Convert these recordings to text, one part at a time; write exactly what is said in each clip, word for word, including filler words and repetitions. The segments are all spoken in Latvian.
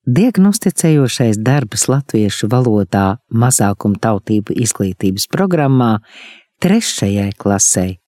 Diagnosticējošais darbs latviešu valodā mazākumtautību izglītības programmā trešajai klasei.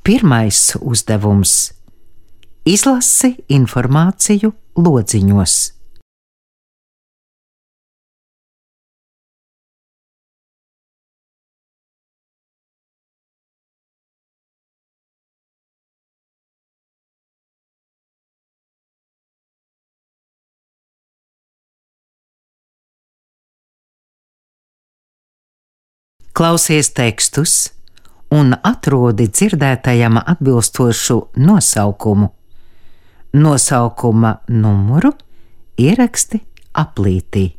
Pirmais uzdevums – izlasi informāciju lodziņos. Klausies tekstus un atrodi dzirdētajam atbilstošu nosaukumu. Nosaukuma numuru ieraksti aplītī.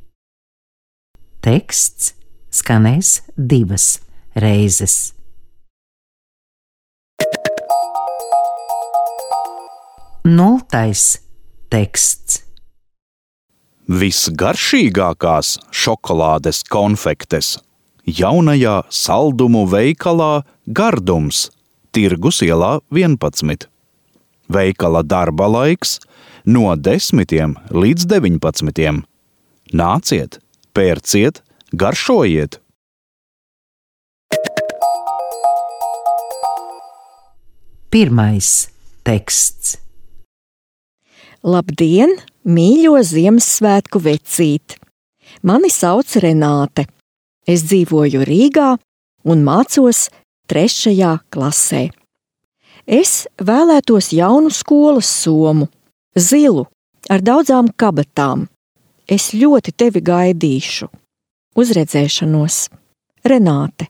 Teksts skanēs divas reizes. Nultais teksts. Visgaršīgākās šokolādes konfektes jaunajā saldumu veikalā Gardums, Tirgus ielā vienpadsmit. Veikala darba laiks no desmitiem līdz deviņpadsmitiem. Nāciet, pērciet, garšojiet! Pirmais teksts. Labdien, mīļo Ziemassvētku vecīt! Mani sauc Renāte. Es dzīvoju Rīgā un mācos trešajā klasē. Es vēlētos jaunu skolas somu, zilu, ar daudzām kabatām. Es ļoti tevi gaidīšu. Uz redzēšanos. Renāte.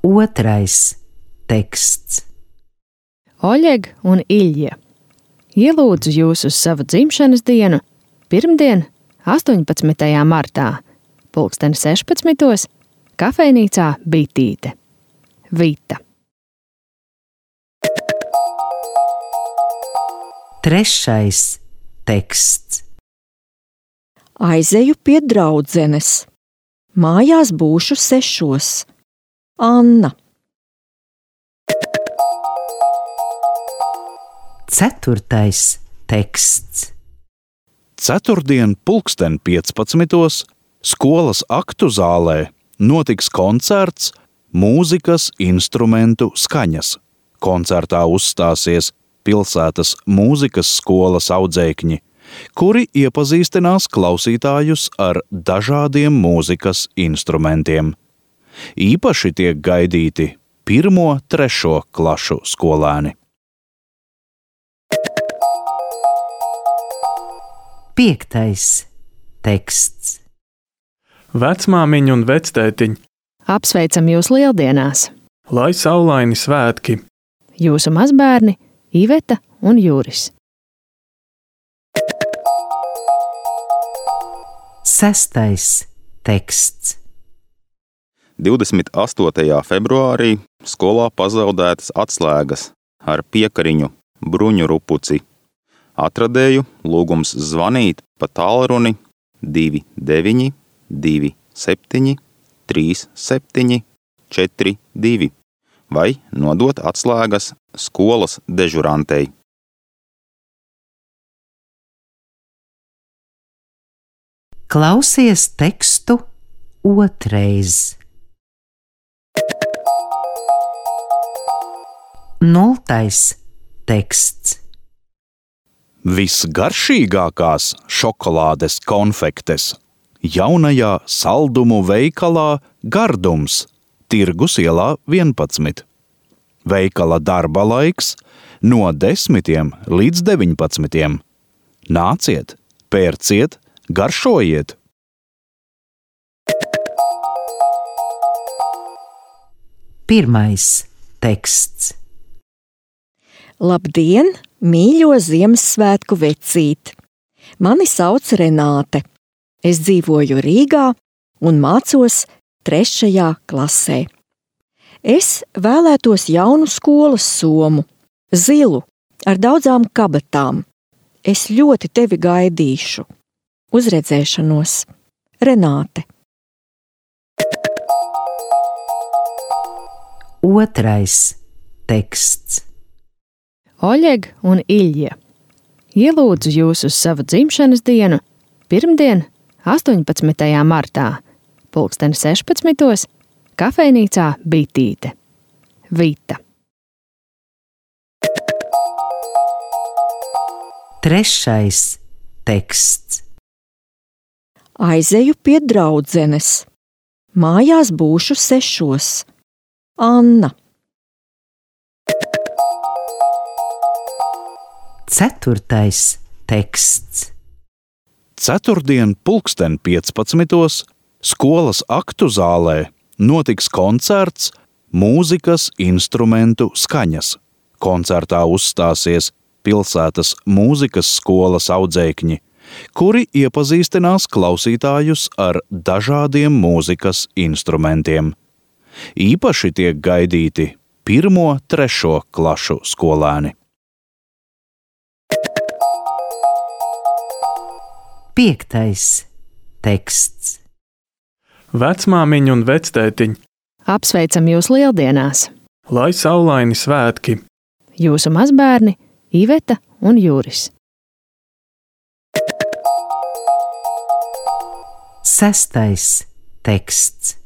Otrais teksts. Oļeg un Iļja. Ielūdzu jūs uz savu dzimšanas dienu pirmdien, astoņpadsmitajā martā, pulksteni sešpadsmitos, kafejnīcā Bitīte. Vita. Trešais teksts. Aizeju pie draudzenes. Mājās būšu sešos. Anna. Ceturtais teksts. Ceturtdien pulksten piecpadsmitos skolas aktu zālē notiks koncerts mūzikas instrumentu skaņas. Koncertā uzstāsies pilsētas mūzikas skolas audzēkņi, kuri iepazīstinās klausītājus ar dažādiem mūzikas instrumentiem. Īpaši tiek gaidīti pirmo, trešo klašu skolēni. Piektais teksts. Vecmāmiņa un vectētiņ, Apsveicam jūs lieldienās! lai saulaini svētki! Jūsu mazbērni Iveta un Juris. Sestais teksts. divdesmit astotajā februārī skolā pazaudētas atslēgas ar piekariņu bruņu rupuci. Atradēju lūgums zvanīt pa tālruni divi deviņi divi septiņi trīs septiņi četri divi vai nodot atslēgas skolas dežurantei. Klausies tekstu otrais. Nultais teksts. Visgaršīgākās šokolādes konfektes jaunajā saldumu veikalā Gardums, Tirgus ielā vienpadsmit. Veikala darba laiks no desmitiem līdz deviņpadsmitiem. Nāciet, pērciet, garšojiet! Pirmais teksts. Labdien, mīļo Ziemassvētku vecīt! Mani sauc Renāte. Es dzīvoju Rīgā un mācos trešajā klasē. Es vēlētos jaunu skolas somu, zilu, ar daudzām kabatām. Es ļoti tevi gaidīšu. Uz redzēšanos. Renāte. Otrais teksts. Oļeg un Iļja. Ielūdzu jūs uz savu dzimšanas dienu pirmdien, astoņpadsmitajā martā, pulksteni sešpadsmitos, kafejnīcā Bitīte. Vita. Trešais teksts. Aizeju pie draudzenes. Mājās būšu sešos. Anna. Ceturtais teksts. Ceturtdien, pulksten piecpadsmitos, skolas aktu zālē notiks koncerts mūzikas instrumentu skaņas. Koncertā uzstāsies pilsētas mūzikas skolas audzēkņi, kuri iepazīstinās klausītājus ar dažādiem mūzikas instrumentiem. Īpaši tiek gaidīti pirmo, trešo klašu skolēni. Piektais teksts. Vecmāmiņa un vectētiņ, Apsveicam jūs lieldienās! lai saulaini svētki! Jūsu mazbērni Iveta un Juris. Sestais teksts.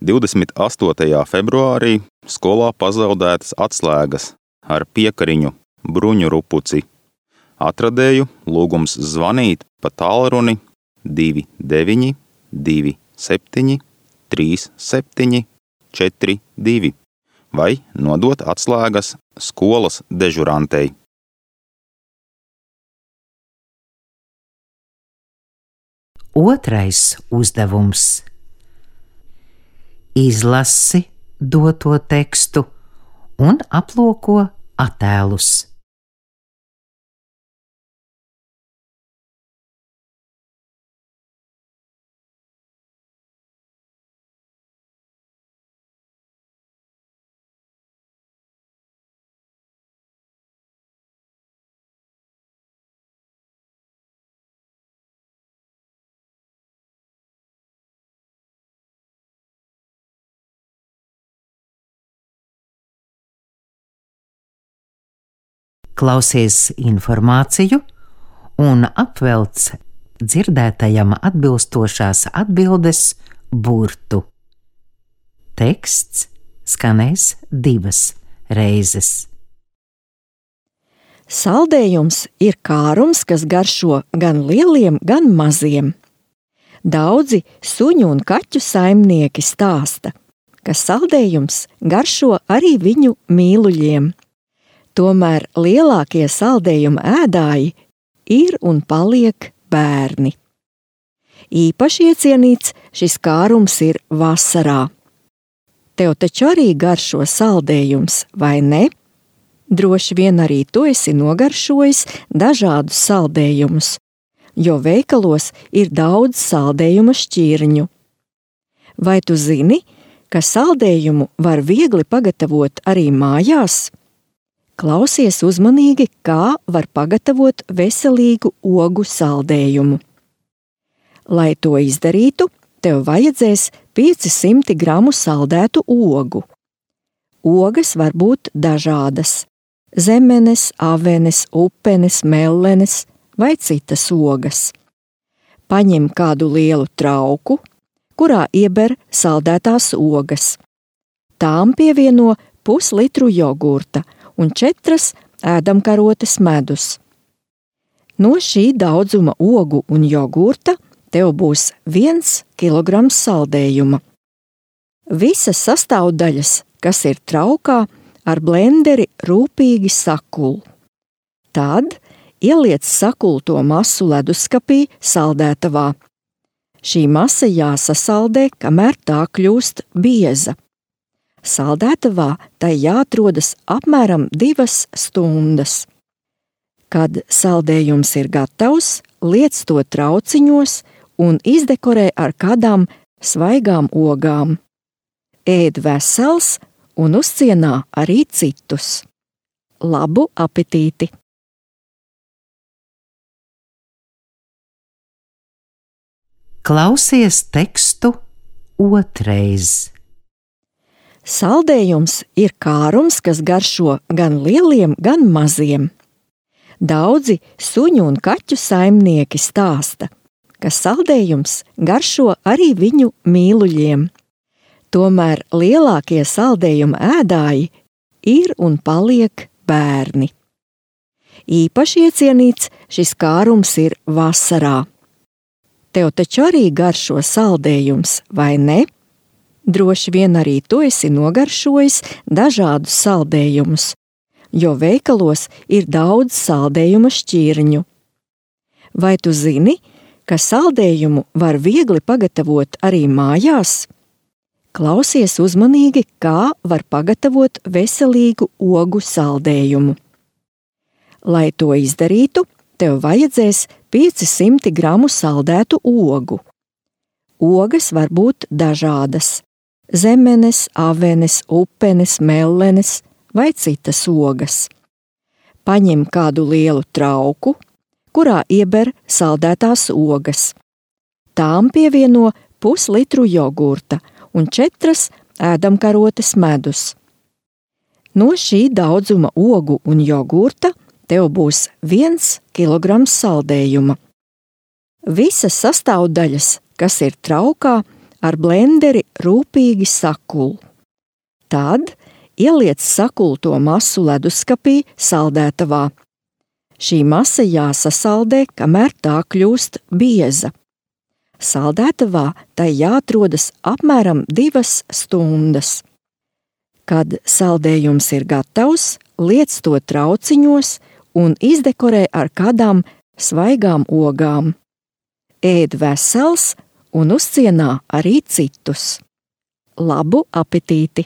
divdesmit astotajā februārī skolā pazaudētas atslēgas ar piekariņu bruņu rupuci. Atradēju lūgums zvanīt pa tālruni divi deviņi divi septiņi trīs septiņi četri divi vai nodot atslēgas skolas dežurantei. Otrais uzdevums. Izlasi doto tekstu un aplūko attēlus. Klausies informāciju un apvelc dzirdētajam atbilstošās atbildes burtu. Teksts skanēs divas reizes. Saldējums ir kārums, kas garšo gan lieliem, gan maziem. Daudzi suņu un kaķu saimnieki stāsta, ka saldējums garšo arī viņu mīluļiem. Tomēr lielākie saldējuma ēdāji ir un paliek bērni. Īpaši iecienīts šis kārums ir vasarā. Tev taču arī garšo saldējums, vai ne? Droši vien arī tu esi nogaršojis dažādus saldējumus, jo veikalos ir daudz saldējuma šķirņu. Vai tu zini, ka saldējumu var viegli pagatavot arī mājās? Klausies uzmanīgi, kā var pagatavot veselīgu ogu saldējumu. Lai to izdarītu, tev vajadzēs pieci simti gramu saldētu ogu. Ogas var būt dažādas – zemenes, avenes, upenes, mellenes vai citas ogas. Paņem kādu lielu trauku, kurā ieber saldētās ogas. Tām pievieno puslitru jogurta un četras ēdamkarotes medus. No šī daudzuma ogu un jogurta tev būs viens kilograms saldējuma. Visas sastāvdaļas, kas ir traukā, ar blenderi rūpīgi sakul. Tad ieliec sakulto masu leduskapī saldētavā. Šī masa jāsasaldē, kamēr tā kļūst bieza. Saldētavā tai jāatrodas apmēram divas stundas. Kad saldējums ir gatavs, liec to trauciņos un izdekorē ar kādām svaigām ogām. ēd vesels un uzcienā arī citus. Labu apetīti! Klausies tekstu otrais. Saldējums ir kārums, kas garšo gan lieliem, gan maziem. Daudzi suņu un kaķu saimnieki stāsta, ka saldējums garšo arī viņu mīluļiem. Tomēr lielākie saldējuma ēdāji ir un paliek bērni. Īpaši iecienīts šis kārums ir vasarā. Tev taču arī garšo saldējums, vai ne? Droši vien arī tu esi nogaršojis dažādus saldējumus, jo veikalos ir daudz saldējuma šķirņu. Vai tu zini, ka saldējumu var viegli pagatavot arī mājās? Klausies uzmanīgi, kā var pagatavot veselīgu ogu saldējumu. Lai to izdarītu, tev vajadzēs piecsimt gramu saldētu ogu. Ogas var būt dažādas – zemenes, avenes, upenes, mellenes vai citas ogas. Paņem kādu lielu trauku, kurā ieber saldētās ogas. Tām pievieno puslitru jogurta un četras ēdamkarotes medus. No šī daudzuma ogu un jogurta tev būs viens kilograms saldējuma. Visas sastāvdaļas, kas ir traukā, ar blenderi rūpīgi sakul. Tad ieliec sakulto masu leduskapī saldētavā. Šī masa jāsasaldē, kamēr tā kļūst bieza. Saldētavā tai jāatrodas apmēram divas stundas. Kad saldējums ir gatavs, liec to trauciņos un izdekorē ar kādām svaigām ogām. Ēd vesels un uzcienā arī citus. Labu apetīti!